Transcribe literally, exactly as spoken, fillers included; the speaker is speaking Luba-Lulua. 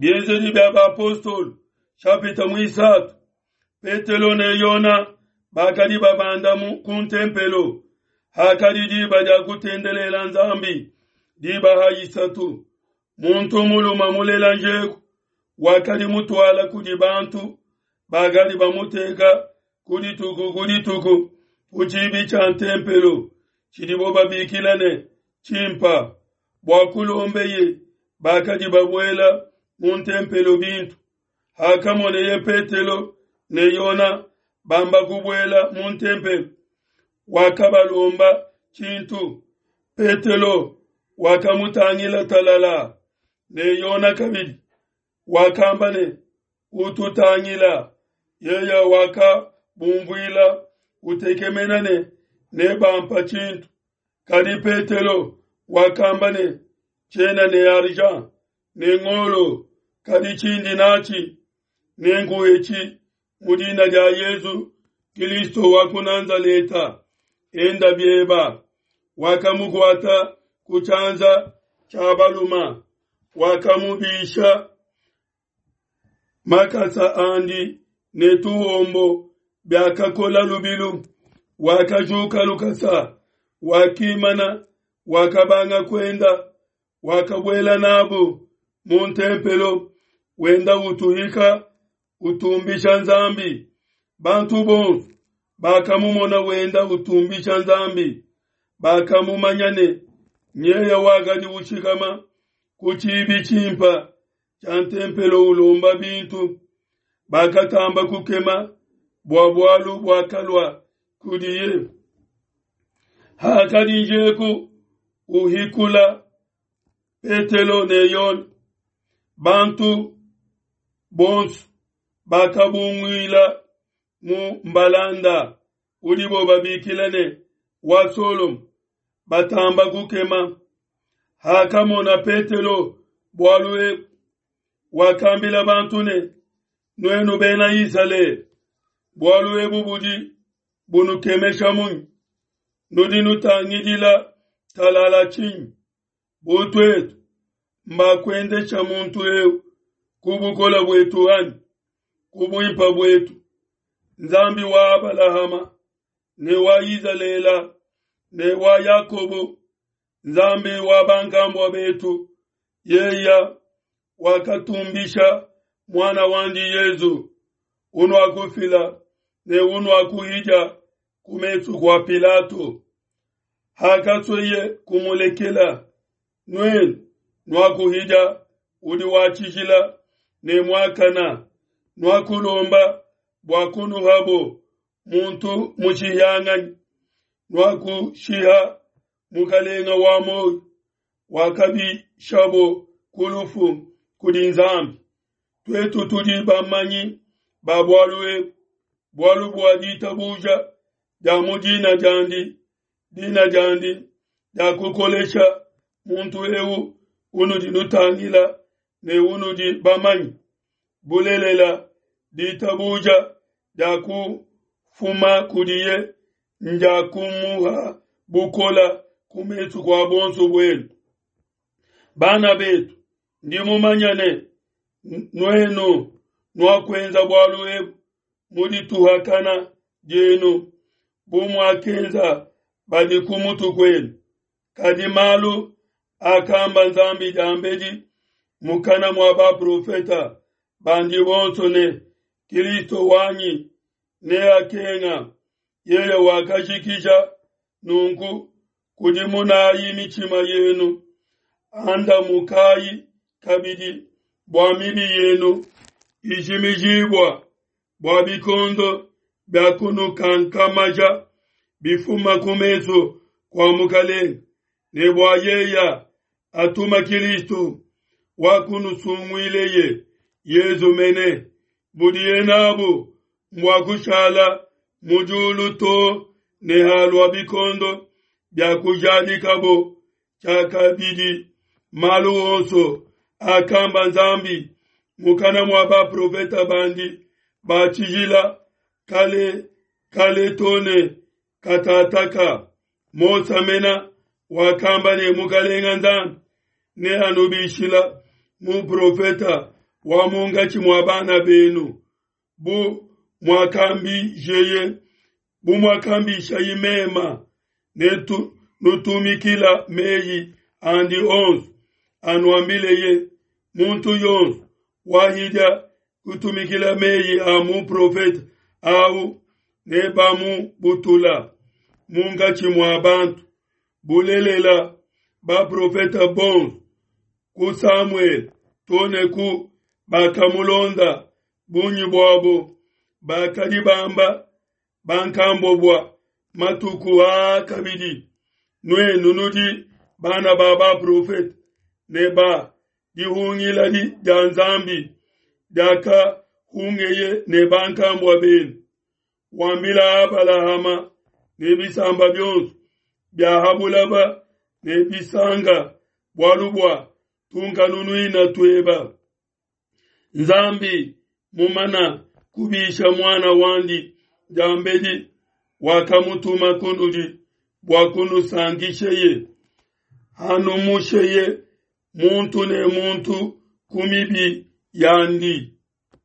Bienzedi bia bapostolo shapita muisatu, Petelo ne Yona bakadi babanda ku ntempelo. Hakadi diba dia kutendelela Nzambi, diba ha isatu, muntu mulume mulela njeku wakadi mutuala kudi bantu bakadi bamuteka ku dituku ku dituku ku tshibi tshia ntempelo tshidibo babikila ne tshimpa, bua kulombeye bakadi babuela mu ntempelo bintu. Hakamoneye Petelo ne Yona bamba kubuela mu ntempelo, wakabalomba tshintu. Petelo wakamutangila talala, ne Yona kabidi wakamba ne, ututangila. Yeye wakabumvuila utekemena ne nebampa tshintu. Kadi Petelo wakamba ne, tshiena ne argent ne ngolo, kadi tshindi natshi nenkuhetshi mu dina dia Yesu Kristo wa ku Nazaleta, enda bieba. Wakamukuata ku tshianza tshia baluma, wakamubisha makasa andi ne tuhombo biakakola lubilu. Wakajuka lukasa, wakimana, wakabanga kuenda, wakabuela nabu mu ntempelo, wenda utuhika utumbisha Nzambi. Bantu bonso bakamumona wenda utumbisha Nzambi, bakamumanya ne nyeya wakadi ushikama ku tshibi tshimpa tshia ntempelo ulomba bintu. Bakatamba kukema bua bualu buakalua kudiye. Hakadi njeku uhikula Petelo ne Yona, bantu bonso bakabunguila mu mbalanda udibo babikila ne wa Solomo, batamba kukema. Hakamona Petelo bualu ebu, wakambila bantu ne, nuenu bena Isalele, bualu ebu budi bunukemesha munyi? Nudi nutangidila talala tshinyi? Bu tuetu mbakuendesha muntu eu ku bukola buetu anyi ku buimpa buetu? Nzambi wa Abalahama ne wa Izalele ne wa Yakobo, Nzambi wa bankambua betu, yeya wakatumbisha mwana wandi Yezu, unuakufila ne unuakuhija ku mesu kua Pilato. Hakasweye kumulekela, nuenu nuakuhija udi wa tshijila ne muakana, nuakulomba bua kunuhabo muntu mushihanganyi, nuakushiha mukalenga wa moyo, wakabishabo ku lufu kudi Nzambi. Tuetu tudi bamanyi ba bualu ebu, bualu bua ditabuja dia mu dina diandi, dina diandi dia kukolesha muntu eu unudi nutangila ne unudi bamanyi. Bulelela ditabuja dia kufuma kudiye ndia kumuha bukola ku mesu kua bonso buenu. Bana betu, ndi mumanya ne nuenu nuakuenza bualu ebu mu dituhakana dienu, bu muakenza badi ku mutu kuenu. Kadi malu akamba Nzambi diambedi mukana mua baprofeta bandi bonso ne Kristo wanyi neakenga, yeye wakajikija nunku kudimunayi mitshima yenu, andamukayi kabidi bua mibi yenu ijimijibua, bua bikondo bia kunukankamaja bifuma ku mesu kua Mukalenge, ne bua yeya atuma Kristo wa kunusunguileye Yezu mene, budiye nabu mbua kushala mu diulu to ne halua bikondo bia kujadikabo tshiakabidi malu onso akamba Nzambi mukana mua baprofeta bandi ba tshijila kale kale to ne katataka. Mose mena wakamba ne Mukalenga Nzambi neanubishila muprofeta wa munkatshi mua bana benu, bu muakambijeye bu muakambishayi mema, ne nutumikila meyi andi onso anuambileye. Muntu yonso wahidia kutumikila meyi a muprofete au nebamubutula munkatshi mua bantu. Bulelela, baprofete bonso ku Samuele to ne ku bakamulonda, bungi buabo bakadi bamba bankambua bua matuku aa kabidi. Nuenu nudi bana ba baprofete ne ba dihungila dia Nzambi diakahungeye ne bankambua benu, wambila Abalahama ne bisamba bionso bia ha bulaba ne bisanga, bualu bua tunkanunuina tueba. Nzambi mumana kubisha muana wandi diambedi, wakamutuma kunudi bua kunusankisheye, hanumusheye muntu ne muntu ku mibi yandi.